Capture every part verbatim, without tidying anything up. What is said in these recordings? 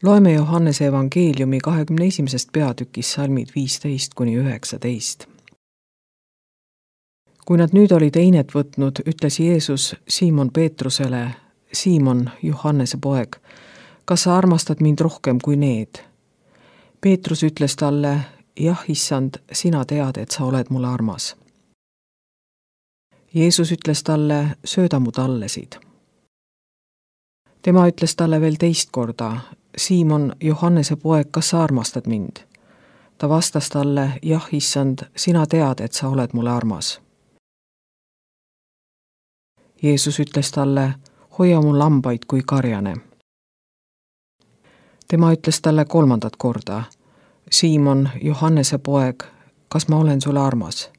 Loeme Johannese evangeeliumi kahekümne esimesest peatükist salmid viisteist kuni üheksateist. Kui nad nüüd oli teinet võtnud, ütles Jeesus Siimon Peetrusele, Siimon, Johannese poeg, kas sa armastad mind rohkem kui need? Peetrus ütles talle, jah, issand, sina tead, et sa oled mulle armas. Jeesus ütles talle, sööda mu tallesid. Tema ütles talle veel teist korda, Siimon, Johannese poeg, kas sa armastad mind? Ta vastas talle, jah, issand, sina tead, et sa oled mulle armas. Jeesus ütles talle, hoia mu lambaid kui karjane. Tema ütles talle kolmandat korda, Siimon, Johannese poeg, kas ma olen sulle armas?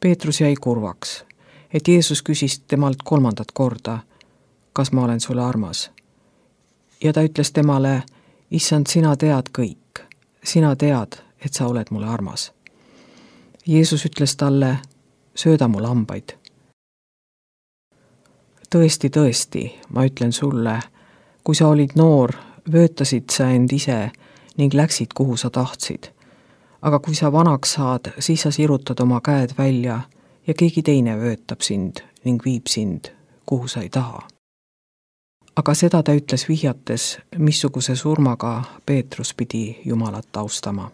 Peetrus jäi kurvaks, et Jeesus küsis temalt kolmandat korda, kas ma olen sulle armas? Ja ta ütles temale, issand, sina tead kõik, sina tead, et sa oled mulle armas. Jeesus ütles talle, sööda mu lambaid. Tõesti, tõesti, ma ütlen sulle, kui sa olid noor, vöötasid sa end ise ning läksid, kuhu sa tahtsid. Aga kui sa vanaks saad, siis sa sirutad oma käed välja ja keegi teine vöötab sind ning viib sind, kuhu sa ei taha. Aga seda ta ütles vihjates, missuguse surmaga Peetrus pidi Jumalat austama.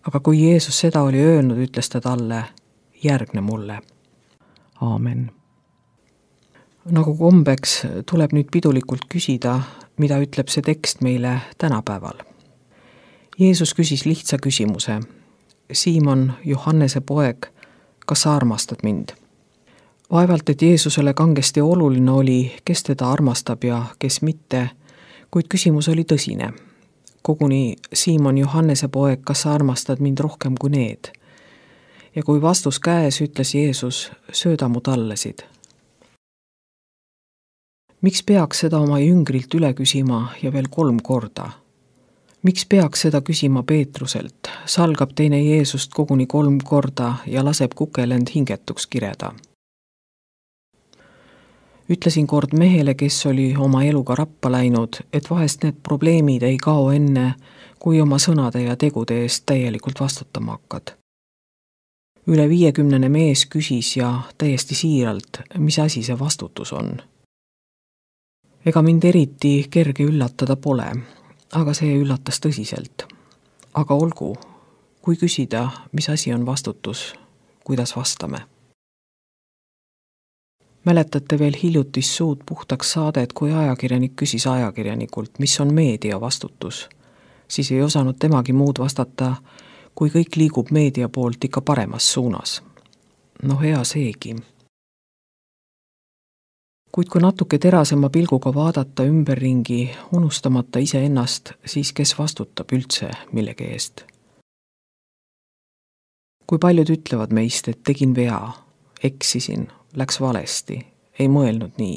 Aga kui Jeesus seda oli öelnud, ütles ta talle, järgne mulle. Aamen. Nagu kombeks tuleb nüüd pidulikult küsida, mida ütleb see tekst meile tänapäeval. Jeesus küsis lihtsa küsimuse. Siimon, Johannese poeg, kas sa armastad mind? Vaevalt, et Jeesusele kangesti oluline oli, kes teda armastab ja kes mitte, kuid küsimus oli tõsine. Koguni Siimon, Johannese poeg, kas sa armastad mind rohkem kui need? Ja kui vastus käes, ütles Jeesus, sööda mu tallesid. Miks peaks seda oma jüngrilt üle küsima ja veel kolm korda? Miks peaks seda küsima Peetruselt? Salgab teine Jeesust koguni kolm korda ja laseb kukel end hingetuks kireda. Ütlesin kord mehele, kes oli oma eluga rappa läinud, et vahest need probleemid ei kao enne, kui oma sõnade ja tegude eest täielikult vastutama hakkad. Üle viiekümnene mees küsis ja täiesti siiralt, mis asi see vastutus on. Ega mind eriti kerge üllatada pole, aga see üllatas tõsiselt. Aga olgu, kui küsida, mis asi on vastutus, kuidas vastame. Mäletate veel hiljutist suud puhtaks saadet, kui ajakirjanik küsis ajakirjanikult, mis on meedia vastutus. Siis ei osanud temagi muud vastata, kui kõik liigub meedia poolt ikka paremas suunas. No hea seegi. Kuid kui natuke terasema pilguga vaadata ümberringi, unustamata iseennast, siis kes vastutab üldse millegi eest? Kui paljud ütlevad meist, et tegin vea, eksisin, läks valesti, ei mõelnud nii,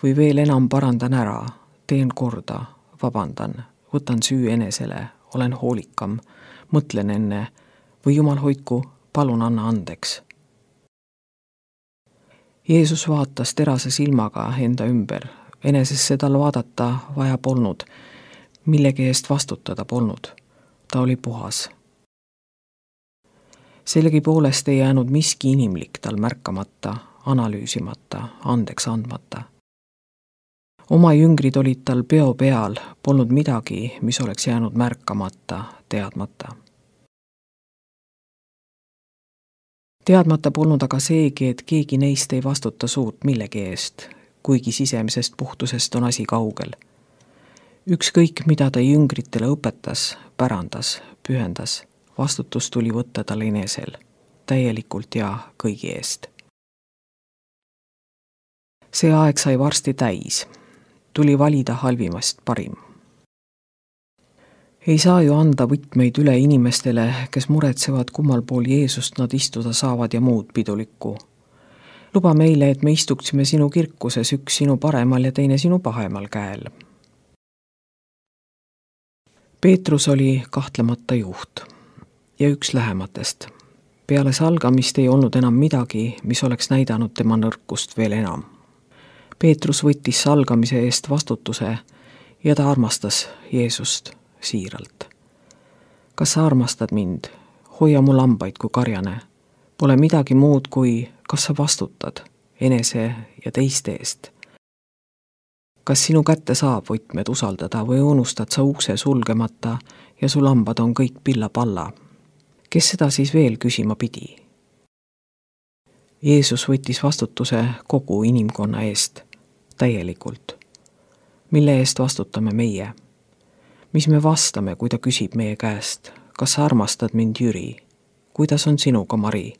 või veel enam parandan ära, teen korda, vabandan, võtan süü enesele, olen hoolikam, mõtlen enne, või Jumal hoidku, palun anna andeks. Jeesus vaatas terase silmaga enda ümber, enesesse tal vaadata vaja polnud, millegi eest vastutada polnud, ta oli puhas. Sellegi poolest ei jäänud miski inimlik tal märkamata, analüüsimata, andeks andmata. Oma jüngrid olid tal peo peal, polnud midagi, mis oleks jäänud märkamata, teadmata. Teadmata polnud aga seegi, et keegi neist ei vastuta suurt millegi eest, kuigi sisemisest puhtusest on asi kaugel. Ükskõik, mida ta jüngritele õpetas, pärandas, pühendas, vastutus tuli võtta tal enesel, täielikult ja kõigi eest. See aeg sai varsti täis, tuli valida halvimast parim. Ei saa ju anda võtmeid üle inimestele, kes muretsevad, kummal pool Jeesust nad istuda saavad ja muud pidulikku. Luba meile, et me istuksime sinu kirkuses, üks sinu paremal ja teine sinu pahemal käel. Peetrus oli kahtlemata juht ja üks lähematest. Peale salgamist ei olnud enam midagi, mis oleks näidanud tema nõrkust veel enam. Peetrus võttis salgamise eest vastutuse ja ta armastas Jeesust siiralt. Kas sa armastad mind? Hoia mu lambaid kui karjane. Pole midagi muud kui, kas sa vastutad enese ja teiste eest. Kas sinu kätte saab võtmed usaldada või unustad sa ukse sulgemata ja su lambad on kõik pilla-palla? Kes seda siis veel küsima pidi? Jeesus võttis vastutuse kogu inimkonna eest, täielikult. Mille eest vastutame meie? Mis me vastame, kui ta küsib meie käest? Kas sa armastad mind, Jüri? Kuidas on sinuga, Mari?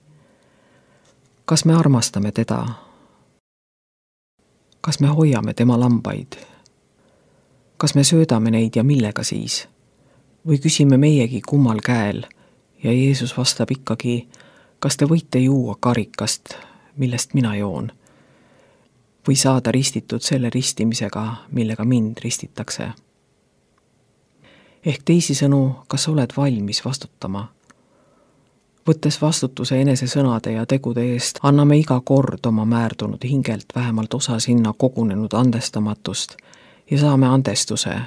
Kas me armastame teda? Kas me hoiame tema lambaid? Kas me söödame neid ja millega siis? Või küsime meiegi kummal käel ja Jeesus vastab ikkagi, kas te võite juua karikast, millest mina joon? Või saada ristitud selle ristimisega, millega mind ristitakse? Ehk teisisõnu, kas oled valmis vastutama? Võttes vastutuse enese sõnade ja tegude eest, anname iga kord oma määrdunud hingelt vähemalt osa sinna kogunenud andestamatust ja saame andestuse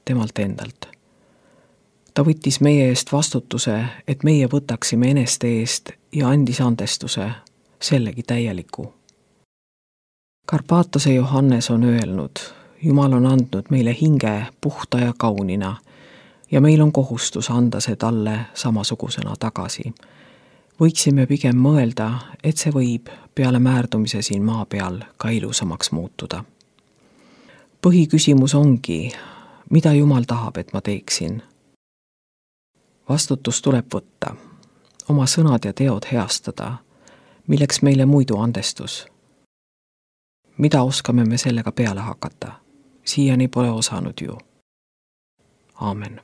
temalt endalt. Ta võttis meie eest vastutuse, et meie võtaksime eneste eest ja andis andestuse, sellegi täieliku. Karpaatose Johannes on öelnud, Jumal on andnud meile hinge puhta ja kaunina ja meil on kohustus anda see talle samasugusena tagasi. Võiksime pigem mõelda, et see võib peale määrdumise siin maa peal ka ilusamaks muutuda. Põhiküsimus ongi, mida Jumal tahab, et ma teeksin? Vastutus tuleb võtta, oma sõnad ja teod heastada, milleks meile muidu andestus. Mida oskame me sellega peale hakata? Siiani pole osanud ju. Aamen.